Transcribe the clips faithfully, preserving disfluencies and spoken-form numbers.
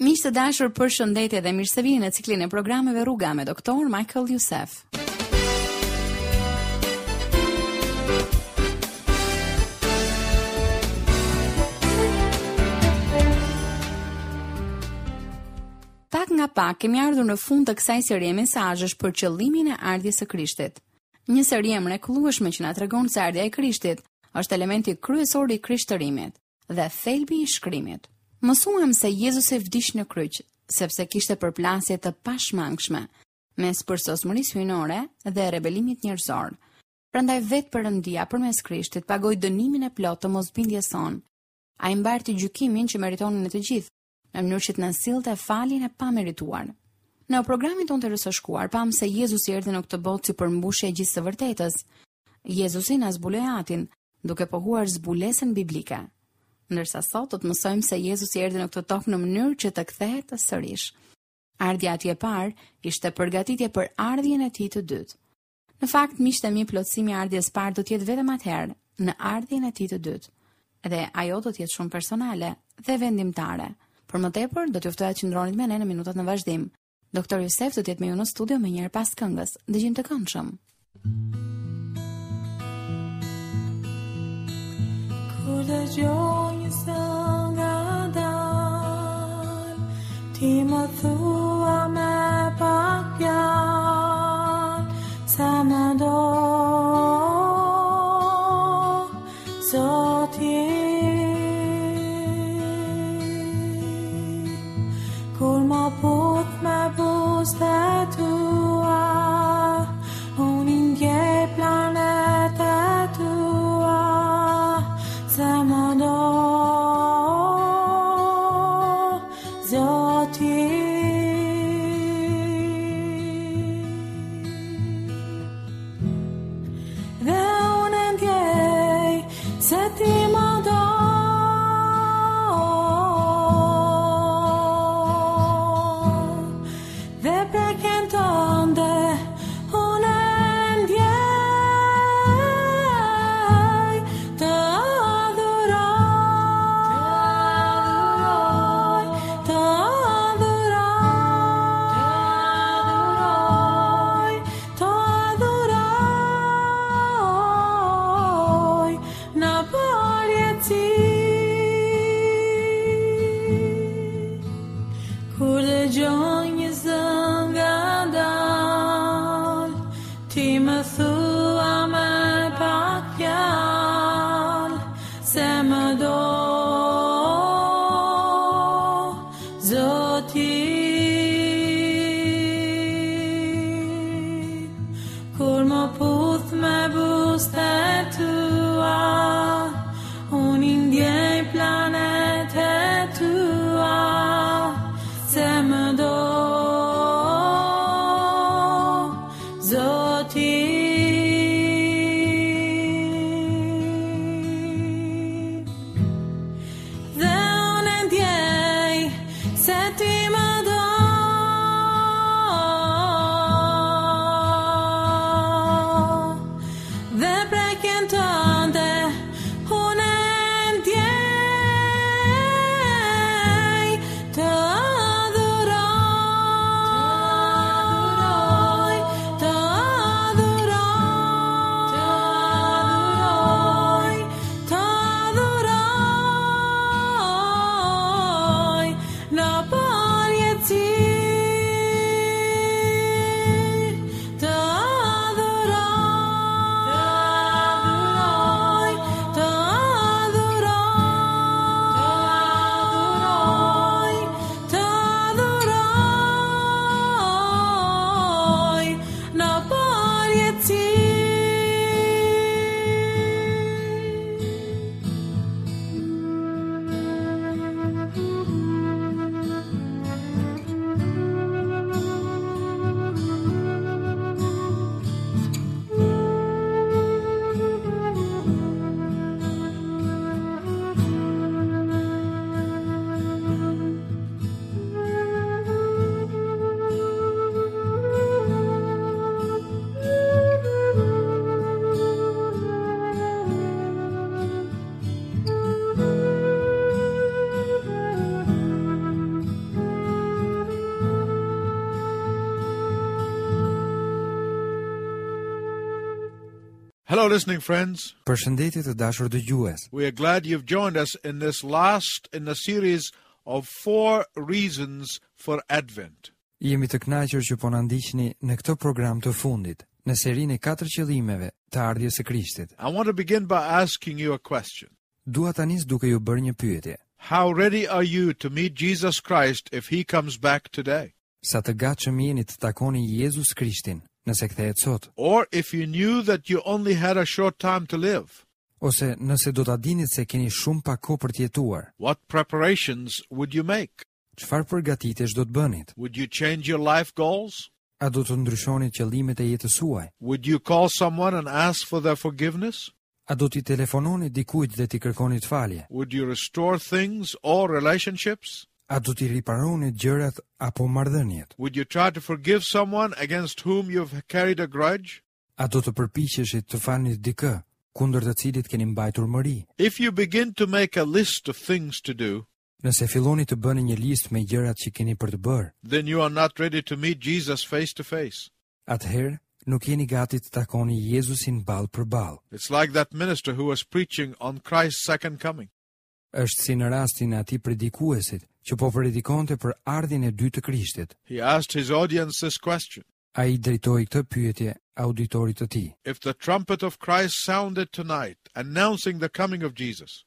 Miq të dashur, përshëndetje dhe mirë se vini në ciklin e programeve Rruga me doktor Michael Youssef. Pak nga pak kemi ardhur në fund të kësaj serie mesazhesh për qëllimin e ardhjes së Krishtit. Një seri e mrekullueshme që na tregon se ardhja e Krishtit është elementi kryesor i krishtërimit dhe thelbi i shkrimit. Mësuam se Jezusi vdiq në kryq, sepse kishte përplasje të pashmangshme mes përsosmërisë hyjnore dhe rebelimit njerëzor. Prandaj vetë Perëndia përmes Krishtit pagoi dënimin e plotë të mosbindjes sonë. Ai mbarti gjykimin që meritonin ne të gjithë, në mënyrë që të na sillte faljen e pamerituar. Në programin tonë të herës së shkuar pamë se Jezusi erdhi në këtë botë si përmbushje e gjithë së vërtetës. Jezusi na zbuloi Atin, duke pohuar zbulesën biblike. Ndërsa sot do të mësojmë se Jezusi erdhi në këtë tokë në mënyrë që të kthehet sërish. Ardhja e tij e parë ishte përgatitje për ardhjen e tij të dytë. Në fakt, miqtë e mi, plotësimi i ardhjes parë do të jetë vetëm atëherë, në ardhjen e tij të dytë. Dhe ajo do të jetë shumë personale dhe vendimtare. Për më tepër, do t'ju ftoja të qëndronit me ne në minutat në vazhdim. Doktor Youssef do të jetë me ju në studio më njëherë pas këngës. Dëgjim të këndshëm. Kur dëgjoj një zë nga dal, ti më thua me pak fjalë, se më do, Zoti. Kur më puth me buzët e tua, unë i ndjej planet e tua, se më do, Zoti. Dhe unë e ndjej se ti më do, dhe preken tënde unë e ndjej të adhuroj, të adhuroj, të adhuroj në përjetësi. Kur dëgjoj një zë nga dal, ti më thua me pak fjalë, se më do, Zoti. Kur më puth me buzët e tua, unë i ndjej planet e tua, se më do, Zoti. Dhe unë e ndjej se ti më do, Hello, listening friends. Përshëndetje të dashur dëgjues. We are glad you've joined us in this last in the series of four reasons for Advent. Jemi të kënaqur që po na ndiqni në këtë program të fundit, në serinë e katër qëllimeve të ardhjes së Krishtit. I want to begin by asking you a question. Dua ta nis duke ju bërë një pyetje. How ready are you to meet Jesus Christ if he comes back today? Sa të gatshëm jeni të takoni Jezus Krishtin nëse kthehet sot, Or if you knew that you only had a short time to live, ose nëse do ta dinit se keni shumë pak kohë për të jetuar, what preparations would you make? çfarë përgatitjesh do të bënit? Would you change your life goals? A do të ndryshonit qëllimet e jetës suaj? Would you call someone and ask for their forgiveness? A do t'i telefononi dikujt dhe t'i kërkonit falje? Would you restore things or relationships? A do t'i riparonit gjërat apo marrëdhëniet? Would you try to forgive someone against whom you've carried a grudge? A do të përpiqeshit të falnit dikë kundër të cilit keni mbajtur mëri? If you begin to make a list of things to do, Nëse filloni të bëni një listë me gjërat që keni për të bërë, then you are not ready to meet Jesus face to face. atëherë nuk jeni gati të takoni Jezusin ballë për ballë. It's like that minister who was preaching on Christ's second coming. Është si në rastin e atij predikuesit që po predikonte për ardhjen e dytë të Krishtit. He asked his audience this question Ai drejtoi këtë pyetje auditorit të tij. If the trumpet of Christ sounded tonight, announcing the coming of Jesus,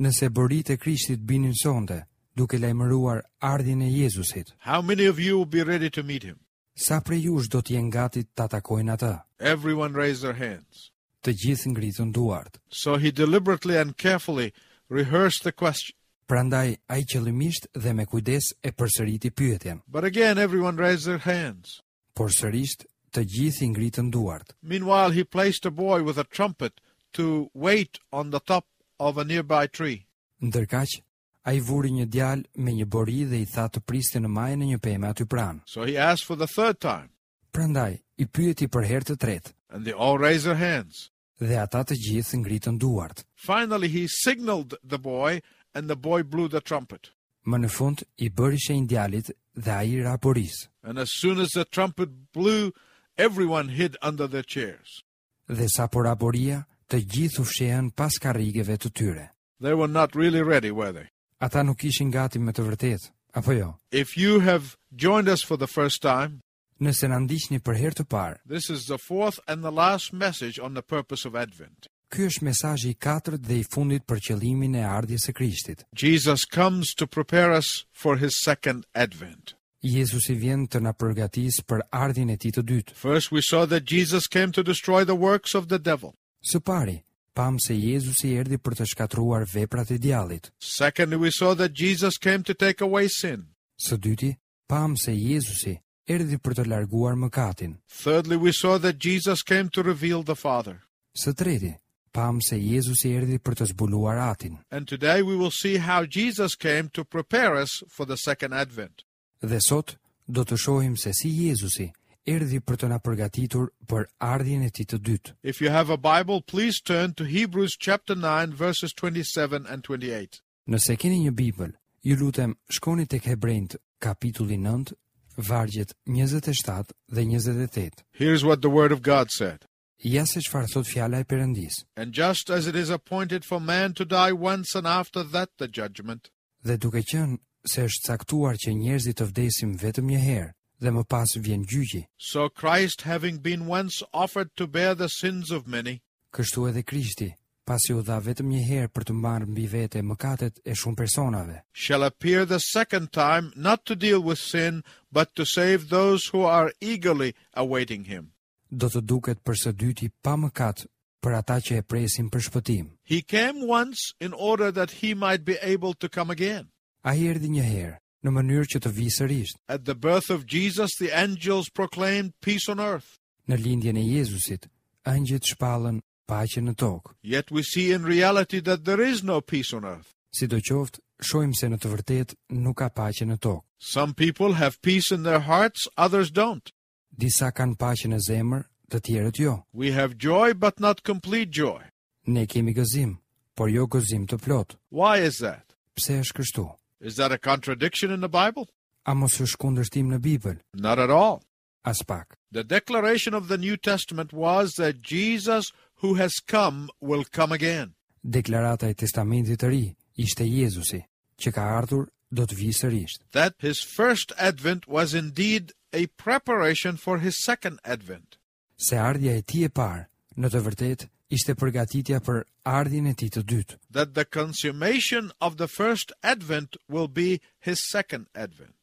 Nëse boritë e Krishtit binin sonte, duke lajmëruar ardhjen e Jezusit, how many of you will be ready to meet him? sa prej jush do të jenë gati ta takojnë atë? Everyone raised their hands. Të gjithë ngritën duart. So he deliberately and carefully rehearsed the question. Prandaj ai qëllimisht dhe me kujdes e përsëriti pyetjen, But again, everyone raised their hands. por sërisht të gjithë i ngritën duart. Meanwhile, he placed a boy with a trumpet to wait on the top of a nearby tree. Ndërkaq, ai vuri një djalë me një bori dhe i tha të priste në majën e një peme aty pranë. So he asked for the third time, Prandaj i pyeti për herë të tretë and they all raised their hands. dhe ata të gjithë ngritën duart. Finally, he signaled the boy, and the boy blew the trumpet. Më në fund i bëri shenjë djalit dhe ai ra borisë. And as soon as the trumpet blew, everyone hid under their chairs. Dhe sa po ra boria, të gjithë u fshehën pas karrigeve të tyre. They were not really ready, were they? Ata nuk ishin gati me të vërtetë, apo jo? If you have joined us for the first time, Nëse na ndiqni për herë të parë, this is the fourth and the last message on the purpose of Advent. ky është mesazhi i katërt dhe i fundit për qëllimin e ardhjes së Krishtit. Jesus comes to prepare us for his second Advent. Jezusi vjen të na përgatisë për ardhjen e tij të dytë. First, we saw that Jesus came to destroy the works of the devil. Së pari, pam se Jezusi erdhi për të shkatërruar veprat e djallit. Secondly, we saw that Jesus came to take away sin. Së dyti, pam se Jezusi erdhi për të larguar mëkatin. Thirdly, we saw that Jesus came to reveal the Father. Së treti, pam se Jezusi erdhi për të zbuluar Atin. And today we will see how Jesus came to prepare us for the second advent. Dhe sot do të shohim se si Jezusi erdhi për të na përgatitur për ardhjen e tij të dytë. If you have a Bible, please turn to Hebrews chapter nine, verses twenty-seven and twenty-eight. Nëse keni një Bibël, ju lutem shkoni tek Hebrejt kapitulli nëntë, vargjet njëzet e shtatë dhe njëzet e tetë. Here's what the Word of God said. Ja se çfarë thot fjala e Perëndis. And just as it is appointed for man to die once and after that the judgment, Dhe duke qenë se është caktuar që njerëzit të vdesim vetëm një herë dhe më pas vjen gjyqi, so Christ, having been once offered to bear the sins of many, kështu edhe Krishti, pasi u dha vetëm një herë për të marrë mbi vete mëkatet e shumë personave, shall appear the second time, not to deal with sin, but to save those who are eagerly awaiting him. do të duket për së dyti pa mëkat për ata që e presin për shpëtim. He came once in order that he might be able to come again. Ai erdhi një herë, në mënyrë që të vijë sërish. At the birth of Jesus, the angels proclaimed peace on earth. Në lindjen e Jezusit, ëngjëjt shpallën paqe në tokë. Yet we see in reality that there is no peace on earth. Sidoqoftë, shohim se në të vërtetë nuk ka paqe në tokë. Some people have peace in their hearts, others don't. Disa kanë paqe në zemër, të tjerët jo. We have joy, but not complete joy. Ne kemi gëzim, por jo gëzim të plot. Why is that? Pse është kështu? Is that a contradiction in the Bible? A mos është kundërshtim në Bibël? Not at all. As pak. The declaration of the New Testament was that Jesus who has come will come again. Deklarata e Testamentit të Ri ishte Jezusi, që ka ardhur do të vijë sërish. That his first advent was indeed a preparation for his second advent. Se ardhja e tij e parë, në të vërtetë, ishte përgatitja për ardhjen e tij të dytë. That the consummation of the first advent will be his second advent.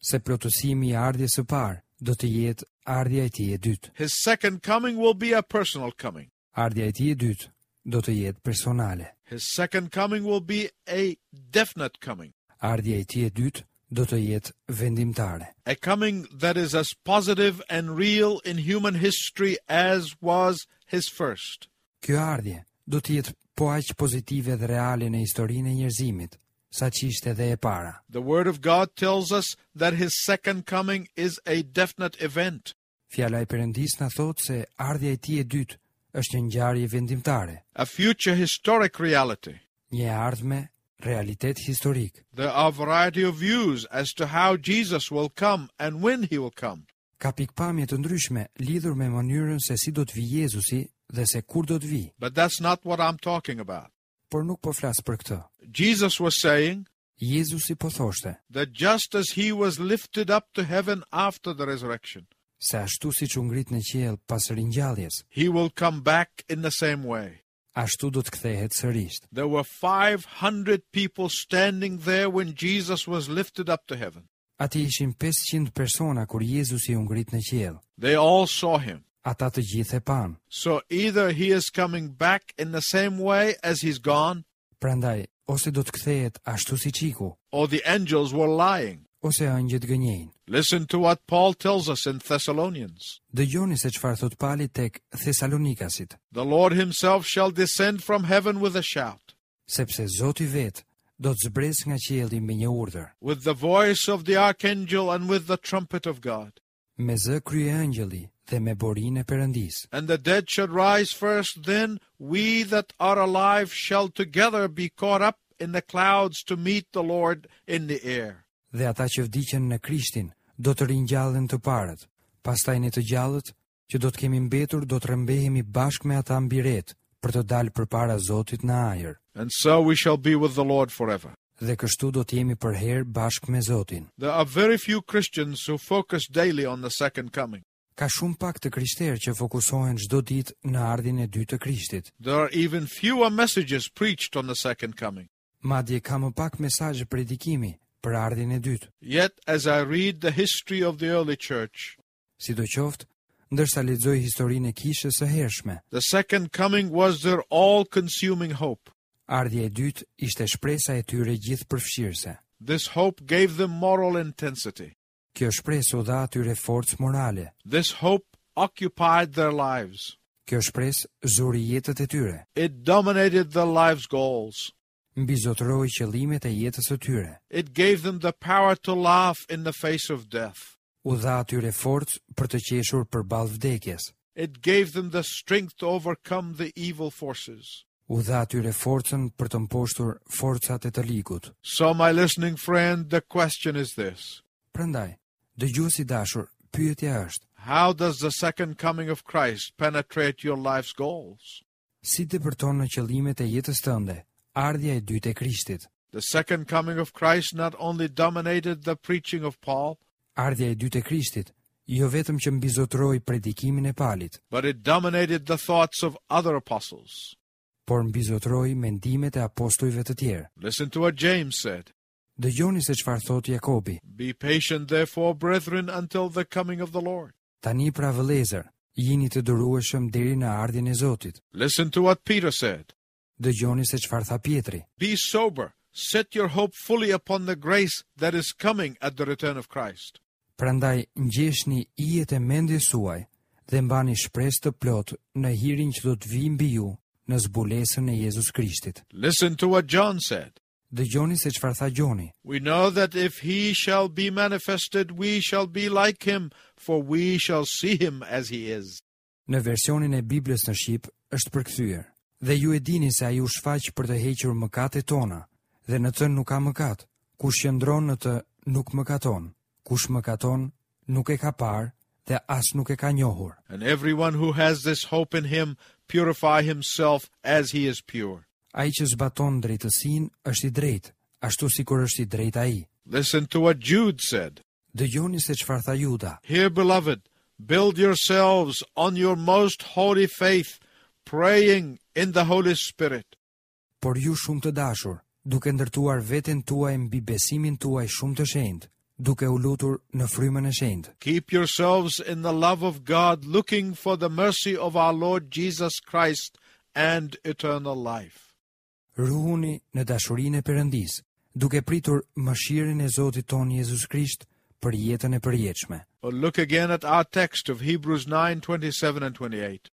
Se plotësimi i ardhjes së parë do të jetë ardhja e tij e dytë. His second coming will be a personal coming. Ardhja e tij e dytë do të jetë personale. His second coming will be a definite coming, Ardhja e tij e dytë do të jetë vendimtare. a coming that is as positive and real in human history as was his first. Kjo ardhje do të jetë po aq pozitive dhe reale në historinë e njerëzimit, sa që ishte edhe e para. The Word of God tells us that his second coming is a definite event, Fjala e Perëndisë na thotë se ardhja e tij e dytë është një ngjarje vendimtare, a future historic reality. një e ardhme realitet historik. There are a variety of views as to how Jesus will come and when he will come. Ka pikpamje të ndryshme lidhur me mënyrën se si do të vijë Jezusi dhe se kur do të vijë, But that's not what I'm talking about. por nuk po flas për këtë. Jesus was saying Jezusi po thoshte that just as he was lifted up to heaven after the resurrection, se ashtu siç u ngrit në qiell pas ringjalljes, he will come back in the same way. ashtu do të kthehet sërish. There were five hundred people standing there when Jesus was lifted up to heaven. Aty ishin pesëqind persona kur Jezusi u ngrit në qiell. They all saw him. Ata të gjithë e panë. So either he is coming back in the same way as he's gone, Prandaj, ose do të kthehet ashtu siç iku, or the angels were lying. Ose ëngjëjt gënjejnë. Listen to what Paul tells us in Thessalonians. Dëgjoni se çfarë thot Pali tek Thesalonikasit, The Lord himself shall descend from heaven with a shout, sepse Zoti vet do të zbresë nga qielli me një urdhër, with the voice of the archangel and with the trumpet of God. Me zë kryeëngjëlli dhe me borinë e Perëndisë. And the dead shall rise first, then we that are alive shall together be caught up in the clouds to meet the Lord in the air. Dhe ata që vdiqën në Krishtin do të ringjallen të parët. Pastaj ne të gjallët që do të kemi mbetur do të rrëmbehemi bashkë me ata mbi retë për të dalë përpara Zotit në ajër. And so we shall be with the Lord forever. Dhe kështu do të jemi përherë bashkë me Zotin. There are very few Christians who focus daily on the second coming. Ka shumë pak të krishterë që fokusohen çdo ditë në ardhjen e dytë të Krishtit. There are even fewer messages preached on the second coming. Madje ka më pak mesazhe predikimi për ardhjen e dytë. Yet, as I read the history of the early church, Sidoqoftë, ndërsa lexoj historinë e kishës së hershme, the second coming was their all consuming hope. Ardhja e dytë ishte shpresa e tyre gjithëpërfshirëse. This hope gave them moral intensity. Kjo shpresë u dha atyre forcë morale. This hope occupied their lives. Kjo shpresë zuri jetët e tyre, It dominated their lives' goals. Mbizotëroi qëllimet e jetës së tyre, It gave them the power to laugh in the face of death. U dha atyre forcë për të qeshur përballë vdekjes, It gave them the strength to overcome the evil forces. U dha atyre forcën për të mposhtur forcat e të ligut. So, my listening friend, the question is this: Prandaj, dëgjues i dashur, pyetja është, How does the second coming of Christ penetrate your life's goals? Si depërton në qëllimet e jetës tënde ardhja e dytë e Krishtit? The second coming of Christ not only dominated the preaching of Paul, Ardhja e dytë e Krishtit jo vetëm që mbizotëroi predikimin e Palit, but it dominated the thoughts of other apostles. Por mbizotëroi mendimet e apostujve të tjerë. Listen to what James said. Dëgjoni se çfarë thotë Jakobi. Be patient, therefore, brethren, until the coming of the Lord. Tani pra vëllezër, jini të durueshëm deri në ardhjen e Zotit. Listen to what Peter said. Dëgjoni se çfarë tha Pietri. Be sober, set your hope fully upon the grace that is coming at the return of Christ. Prandaj ngjeshni ijet e mendjes suaj dhe mbani shpresë të plotë në hirin që do të vijë mbi ju në zbulesën e Jezus Krishtit. Listen to what John said. Dëgjoni se çfarë tha Gjoni. We know that if he shall be manifested, we shall be like him, for we shall see him as he is. Në versionin e Biblës në shqip është përkthyer. Dhe ju e dini se ai u shfaq për të hequr mëkatet tona, dhe në të nuk ka mëkat. Kush qëndron në të nuk mëkaton. Kush mëkaton nuk e ka parë dhe as nuk e ka njohur. And everyone who has this hope in him purify himself as he is pure. Ai që zbaton drejtësinë është i drejtë, ashtu sikur është i drejtë ai. Listen to what Jude said. Dëgjoni se çfarë tha Juda. Here, beloved, build yourselves on your most holy faith, praying in the Holy Spirit. Por ju shumë të dashur, duke ndërtuar veten tuaj mbi besimin tuaj shumë të shenjtë, duke u lutur në frymën e shenjtë. Keep yourselves in the love of God, looking for the mercy of our Lord Jesus Christ and eternal life. Ruhuni në dashurinë e Perëndisë, duke pritur mëshirën e Zotit ton Jezus Krisht për jetën e përjetshme. Or look again at our text of Hebrews nine twenty-seven and twenty-eight.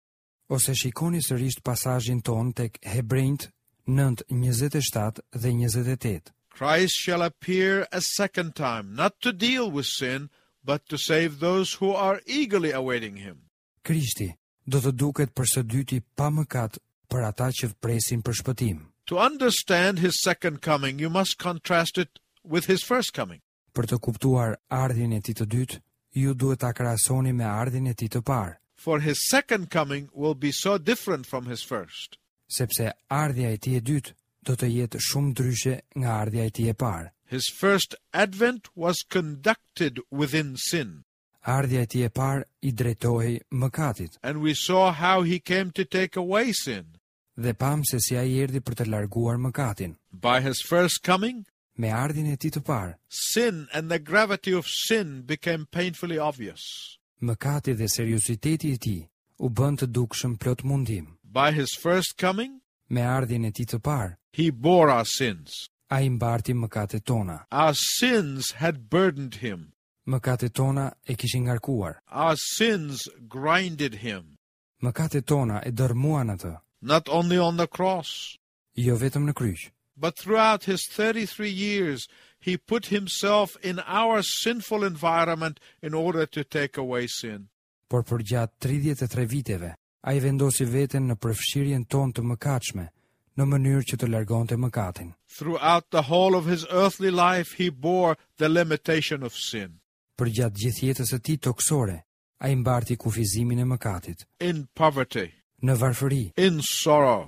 Ose shikoni sërish pasazhin ton tek Hebrejt nëntë njëzet e shtatë dhe njëzet e tetë. Christ shall appear a second time, not to deal with sin, but to save those who are eagerly awaiting him. Krishti do të duket për së dyti pa mëkat për ata që presin për shpëtim. To understand his second coming, you must contrast it with his first coming. Për të kuptuar ardhjen e tij të dytë, ju duhet ta krahasoni me ardhjen e tij të parë. For his second coming will be so different from his first. Sepse ardhja e tij e dytë do të jetë shumë ndryshe nga ardhja e tij e parë. His first advent was conducted within sin. Ardhja e tij e parë i drejtohej mëkatit. And we saw how he came to take away sin. Dhe pam se si ai erdhi për të larguar mëkatin. By his first coming, me ardhjen e tij të parë, sin and the gravity of sin became painfully obvious. Mëkati dhe serioziteti i tij u bën të dukshëm plot mundim. By his first coming, me ardhjen e tij të parë, he bore our sins. Ai mbarti mëkatet tona. Our sins had burdened him. Mëkatet tona e kishin ngarkuar. Our sins grinded him. Mëkatet tona e dërmuan atë. Not only on the cross, jo vetëm në kryq, but throughout his thirty-three years he put himself in our sinful environment in order to take away sin. Por përgjatë tridhjetë e tre viteve, ai vendosi veten në përfshirjen tonë të mëkatshme, në mënyrë që të largonte mëkatin. Throughout the whole of his earthly life he bore the limitation of sin. Përgjatë gjithë jetës së tij tokësore, ai mbarti kufizimin e mëkatit. In poverty, në varfëri, in sorrow,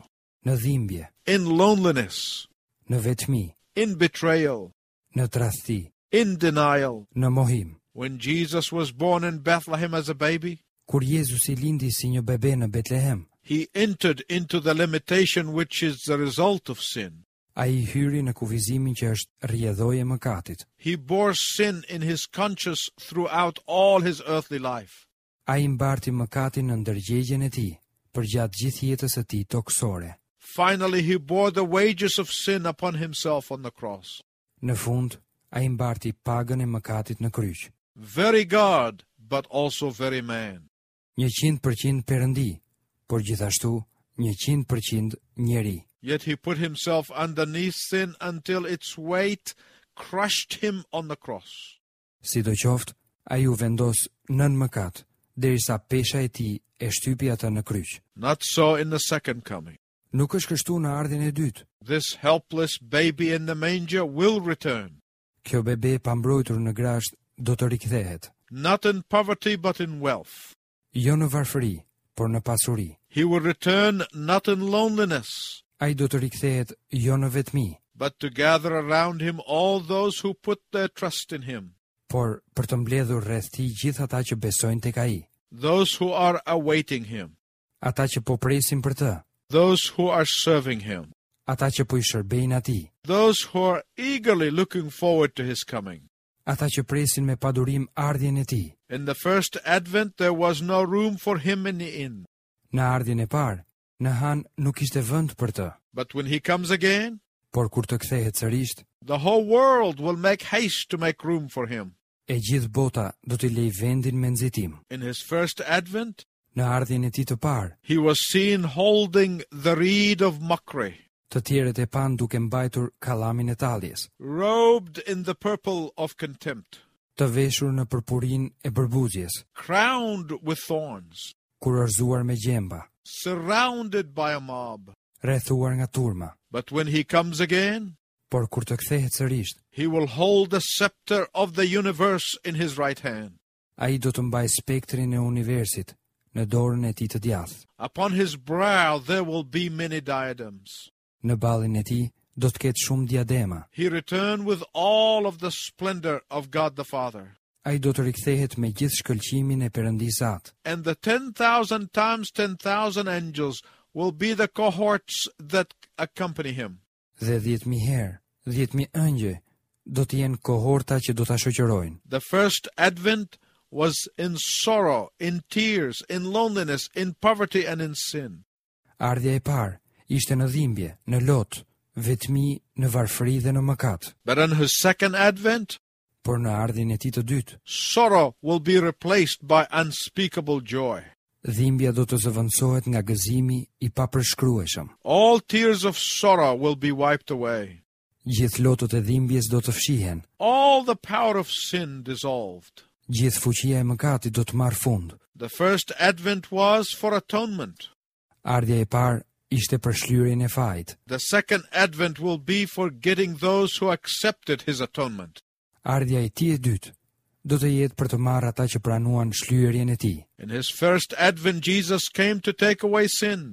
në dhimbje, in loneliness, në vetmi, in betrayal, në tradhti, in denial. në mohim. When Jesus was born in Bethlehem as a baby, kur Jezusi lindi si një bebe në Betlehem, he entered into the limitation which is the result of sin. Ai hyri në kufizimin që është rrjedhojë e mëkatit. He bore sin in his conscience throughout all his earthly life. Ai mbarti mëkatin në ndërgjegjen e tij përgjatë gjithë jetës së tij tokësore. Finally, he bore the wages of sin upon himself on the cross. Në fund, ai mbarti pagën e mëkatit në kryq. Very God, but also very man. Njëqind përqind perëndi, por gjithashtu njëqind përqind njeri. Yet he put himself underneath sin until its weight crushed him on the cross. Sidoqoftë, ai u vendos nën mëkat, derisa pesha e tij e shtypi atë në kryq. Not so in the second coming. Nuk është kështu në ardhjen e dytë. This helpless baby in the manger will return. Kjo bebe pa mbrojtur në grasht do të rikthehet. Not in poverty but in wealth. Jo në varfëri, por në pasuri. He will return not in loneliness, Ai do të rikthehet jo në vetmi, but to gather around him all those who put their trust in him. Por për të mbledhur rreth tij gjithë ata që besojnë tek ai. Those who are awaiting him. Ata që po presin për të. Those who are serving him. Ata që po i shërbejnë atij. Those who are eagerly looking forward to his coming. Ata që presin me padurim ardhjen e tij. In the first advent there was no room for him in the inn. Në ardhjen e parë, në han nuk ishte vend për të. But when he comes again, por kur të kthehet sërish, the whole world will make haste to make room for him. E gjithë bota do t'i lejë vendin me nxitim. In his first advent, në ardhjen e tij të parë, he was seen holding the reed of mockery, të tjerët e panë duke mbajtur kallamin e talljes, robed in the purple of contempt, të veshur në purpurin e përbuzjes, crowned with thorns, kurorzuar me gjemba, surrounded by a mob. Rrethuar nga turma. But when he comes again, por kur të kthehet sërish, he will hold the scepter of the universe in his right hand. Ai do të mbajë spektrin e universit në dorën e tij të djathtë. Upon his brow there will be many diadems. Në ballin e tij do të ketë shumë diadema. He returned with all of the splendor of God the Father. Ai do të rikthehet me gjithë shkëlqimin e Perëndisë Atë. And the ten thousand times ten thousand angels will be the cohorts that accompany him. Dhe dhjetë mijë herë, dhjetë mijë ëngjëj do të jenë kohorta që do ta shoqërojnë. The first advent was in sorrow, in tears, in loneliness, in poverty, and in sin. Ardhja e parë ishte në dhimbje, në lot, vetmi, në varfëri dhe në mëkat. But in his second advent, Por në ardhjen e tij të dytë, sorrow will be replaced by unspeakable joy. dhimbja do të zëvendësohet nga gëzimi i papërshkrueshëm. All tears of sorrow will be wiped away, Gjithë lotët e dhimbjes do të fshihen, all the power of sin dissolved. gjithë fuqia e mëkatit do të marrë fund. The first advent was for atonement. Ardhja e parë ishte për shlyerjen e fajit. The second advent will be for getting those who accepted his atonement. Ardhja e tij e dytë do të jetë për të marrë ata që pranuan shlyerjen e tij. In his first advent, Jesus came to take away sin.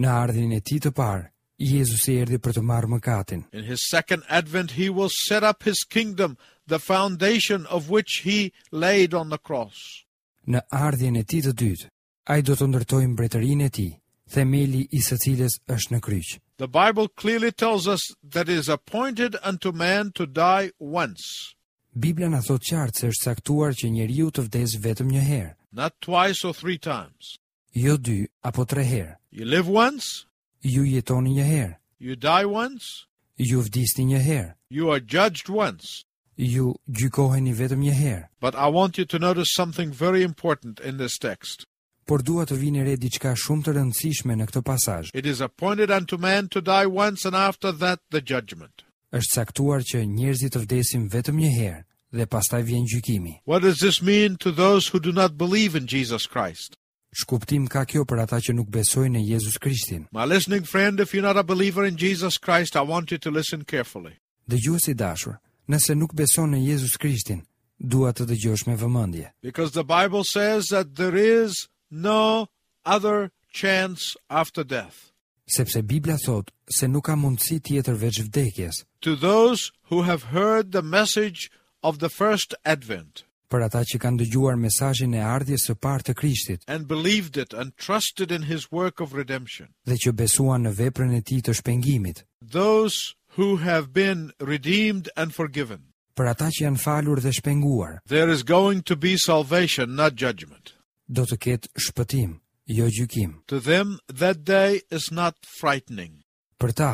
Në ardhjen e tij të parë, Jezusi erdhi për të marrë mëkatin. In his second advent, he will set up his kingdom, the foundation of which he laid on the cross. Në ardhjen e tij të dytë, ai do të ndërtojë mbretërinë e tij, themeli i së cilës është në kryq. The Bible clearly tells us that it is appointed unto man to die once, Bibla na thotë qartë se është caktuar që njeriu të vdesë vetëm një herë, not twice or three times. jo dy apo tre herë. You live once, Ju jetoni një herë, you die once, ju vdisni një herë, you are judged once. ju gjykoheni vetëm një herë. But I want you to notice something very important in this text. Por dua të vini re diçka shumë të rëndësishme në këtë pasazh. It is appointed unto man to die once, and after that the judgment. Është caktuar që njerëzit të vdesin vetëm një herë dhe pastaj vjen gjykimi. What does this mean to those who do not believe in Jesus Christ? Ç'kuptim ka kjo për ata që nuk besojnë në Jezus Krishtin? My listening friend, if you're not a believer in Jesus Christ, I want you to listen carefully. Dëgjues i dashur, nëse nuk beson në Jezus Krishtin, dua të dëgjosh me vëmendje, Because the Bible says that there is no other chance after death. sepse Bibla thotë se nuk ka mundësi tjetër veç vdekjes To those who have heard the message of the first advent për ata që kanë dëgjuar mesazhin e ardhjes së parë të Krishtit and believed it and trusted in his work of redemption, dhe që besuan në veprën e tij të shpengimit, those who have been redeemed and forgiven, për ata që janë falur dhe shpenguar, there is going to be salvation, not judgment. do të ketë shpëtim, jo gjykim. To them, that day is not frightening. Për ta,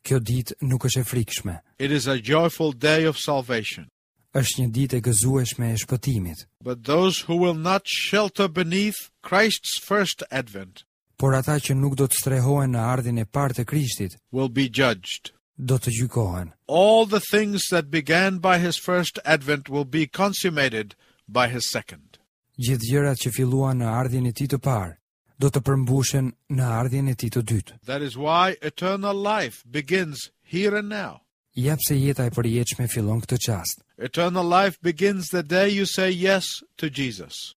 kjo ditë nuk është e frikshme, It is a joyful day of salvation. është një ditë e gëzueshme e shpëtimit. But those who will not shelter beneath Christ's first advent Por ata që nuk do të strehohen në ardhjen e parë të Krishtit, will be judged. do të gjykohen. All the things that began by his first advent will be consummated by his second. Gjithë gjërat që filluan në ardhjen e tij të parë, do të përmbushen në ardhjen e tij të dytë. That is why eternal life begins here and now. Ja pse jeta e përjetshme fillon këtë çast. Eternal life begins the day you say yes to Jesus.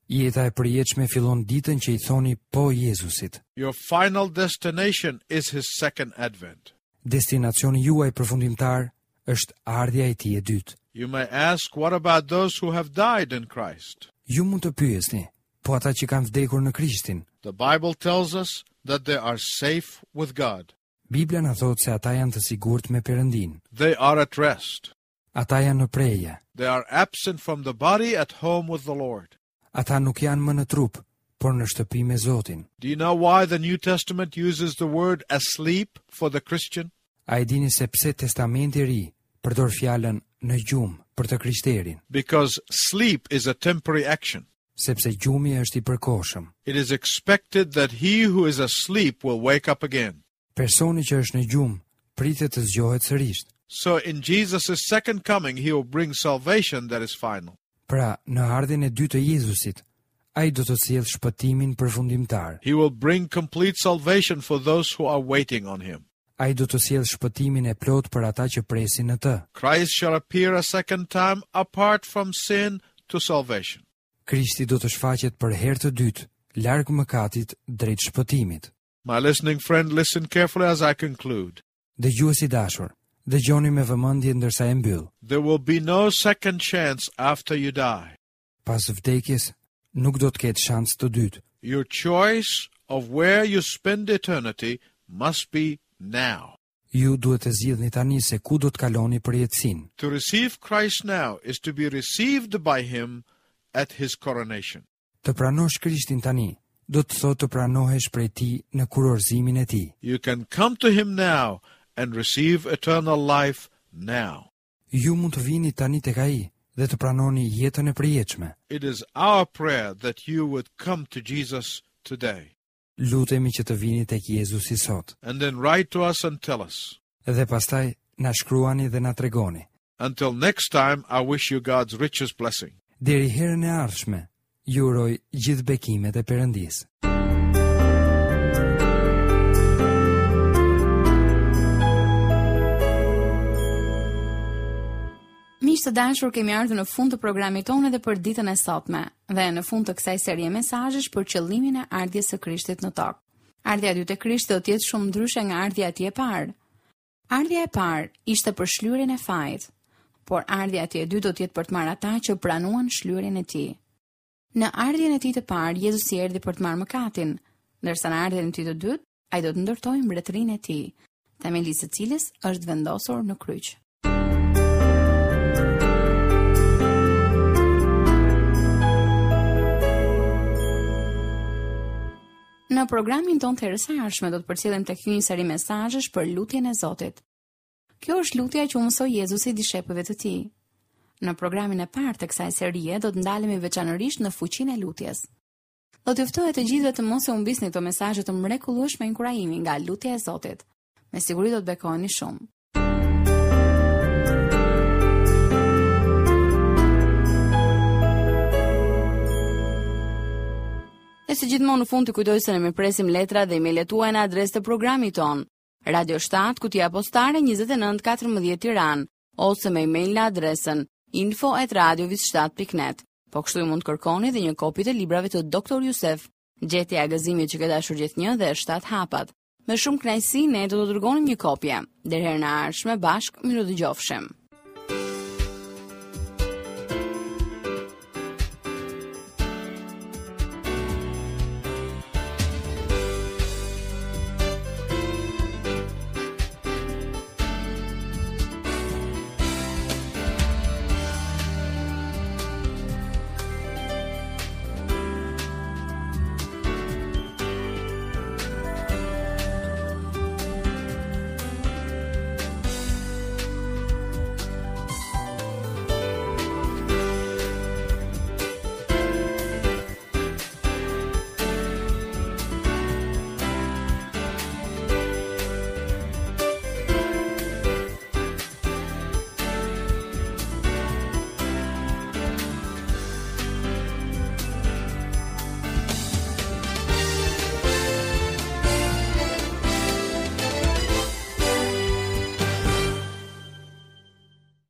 Jeta e përjetshme fillon ditën që i thoni po Jezusit. Your final destination is his second advent. Destinacioni juaj përfundimtar është ardhja e tij e dytë. You may ask, what about those who have died in Christ? Ju mund të pyesni, po ata që kanë vdekur në Krishtin, The Bible tells us that they are safe with God. Bibla na thotë se ata janë të sigurt me Perëndin. They are at rest. Ata janë në preje. They are absent from the body at home with the Lord. Ata nuk janë më në trup, por në shtëpi me Zotin. Do you know why the New Testament uses the word asleep for the Christian? A e dini se pse Testamenti i Ri përdor fjalën në gjumë për të krishterin? Because sleep is a temporary action. Sepse gjumi është i përkohshëm. It is expected that he who is asleep will wake up again. Personi që është në gjumë pritet të zgjohet sërish. So in Jesus' second coming, he will bring salvation that is final. Pra, në ardhjen e dytë të Jezusit, ai do të sjellë shpëtimin përfundimtar. He will bring complete salvation for those who are waiting on him. Ai do të sjellë shpëtimin e plot për ata që presin në të. Christ shall appear a second time apart from sin to salvation. Krishti do të shfaqet për herë të dytë, larg mëkatit drejt shpëtimit. My listening friend, listen carefully as I conclude. Dëgjues i dashur, dëgjoni me vëmendje ndërsa e mbyll. There will be no second chance after you die. Pas vdekjes nuk do të ketë shans të dytë. Your choice of where you spend eternity must be now. Ju duhet të zgjidhni tani se ku do të kaloni përjetësinë. To receive Christ now is to be received by him at his coronation. Të pranosh Krishtin tani do të thotë të pranohesh prej tij në kurorëzimin e tij. You can come to him now and receive eternal life now. Ju mund të vini tani tek ai dhe të pranoni jetën e përjetshme. It is our prayer that you would come to Jesus today Lutemi që të vini tek Jezusi sot. and then write to us and tell us. Dhe pastaj na shkruani dhe na tregoni. Until next time, I wish you God's richest blessing. Deri herën e ardhshme, ju uroj gjithë bekimet e Perëndisë. Miq të dashur, kemi ardhur në fund të programit tonë edhe për ditën e sotme dhe në fund të kësaj serie mesazhesh për qëllimin e ardhjes së Krishtit në tokë. Ardhja e dytë e Krishtit do të jetë shumë ndryshe nga ardhja e tij e parë. Ardhja e parë ishte për shlyerjen e fajit, por ardhja e tij e dytë do të jetë për të marrë ata që pranuan shlyerjen e tij. Në ardhjen e tij të parë, Jezusi erdhi për të marrë mëkatin, ndërsa në ardhjen e tij të dytë, ai do të ndërtojë mbretërinë e tij, themeli i së cilës është vendosur në kryq. Në programin tonë të herës së ardhshme do të përcjellim tek ju një seri mesazhesh për lutjen e Zotit. Kjo është lutja që u mësoi Jezusi dishepujve të tij. Në programin e parë të kësaj serie do të ndalemi veçanërisht në fuqinë e lutjes. Do t'ju ftoj të gjithëve të mos e humbisni këto mesazhe të mrekullueshme inkurajimi nga lutja e Zotit. Me siguri do të bekoheni shumë. E si gjithmonë në fund të kujtoj se ne mirëpresim letra dhe emailet tuaja në adresë të programit ton. Radio shtatë, kutia postare njëzet e nëntë katërmbëdhjetë Tiranë, ose me email në adresën info at radio shtatë pikë net. Po kështu ju mund të kërkoni dhe një kopje të librave të doktor Jusef, Gjetja e gëzimit që ke dashur gjithnjë dhe shtatë hapat. Me shumë kënaqësi ne do të dërgonim një kopje. Deri herën e ardhshme bashkë, mirudëgjofshim.